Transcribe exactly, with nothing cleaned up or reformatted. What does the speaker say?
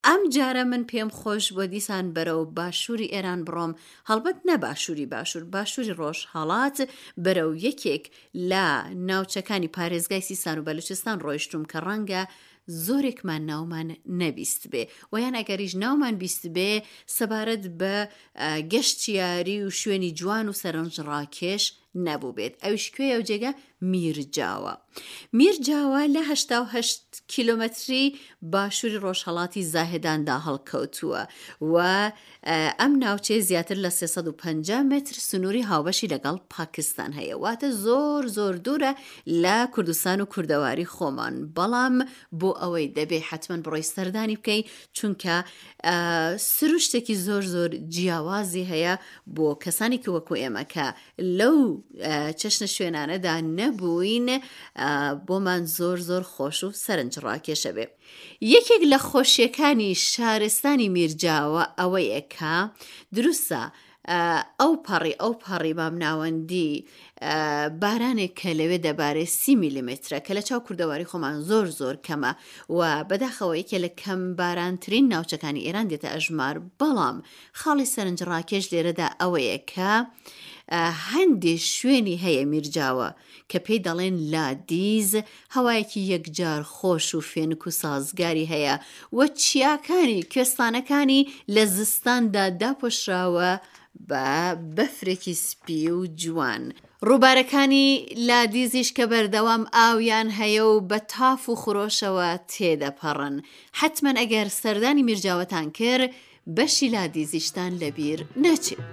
ئەم جارە من پێم خۆش بووە دیسان بەرەو باشووری ئێران بڕۆم، هەڵبەت نە باشووری باشوور، باشووری ڕۆژهەڵات، بەرەو یەکێک لە ناوچەکانی پارێزگای سیستان و بەلوچستان ڕۆیشتووم کە ڕەنگە زۆرێکمان ناومان نەبیستبێ و یان ئەگەریش ناومان بیستبێ سەبارەت بە گەشتیاری و شوێنی جوان و سەرنجڕاکێش نەبووبێت. ئەویش کوێیە ئەو جێگە؟ میرجاوە. میرجاوە لە هەشتا و هەشت کیلۆمەتری باشووری ڕۆژهەڵاتی زاهێداندا هەڵکەوتووە و ئەم ناوچەیە زیاتر لە سێ سەد و پەنجا مەتر سنووری هاوبەشی لەگەڵ پاکستان هەیە، واتە زۆر زۆر دوورە لە کوردستان و کوردەواری خۆمان، بەڵام بۆ ئەوەی دەبێ حتمما بڕۆی سەردانی بکەی، چونکە سروشتێکی زۆر زۆر جیاوازی هەیە بۆ کەسانی کە وەکو ئێمە کە لەو چەشنە شوێنانەدا نەبووین، بۆمان زۆر زۆر خۆش و سەرنج ڕاکێشە بێ. یەکێک لە خۆشیەکانی شارستانی میرجاوە ئەوەیە کە دروستە ئەو پەڕی ئەو پەڕی مامناوەندی بارانێک کە لەوێ دەبارێ سی میلیمترە کە لە چاو کوردەواری خۆمان زۆر زۆر کەمە و بەداخەوە یەکێ لە کەم بارانترین ناوچەکانی ئێران دێتە ئەژمار، بەڵام خاڵی سەرنجڕاکێش لێرەدا ئەوەیە کە هەندێ شوێنی هەیە میرجاوە کە پێی دەڵێن لادیز، هەوایەکی یەکجار خۆش و فێنک و سازگاری هەیە و چیاکانی کوێستانەکانی لە زستاندا داپۆشراوە بە بەفرێکی سپی و جوان. ڕووبارەکانی لادیزیش کە بەردەوام ئاویان هەیە و بە تاف و خرۆشەوە تێدەپەڕن. حتمما ئەگەر سەردانی میرجاوەتان کرد بەشی لادیزیشتان لەبیر نەچێت.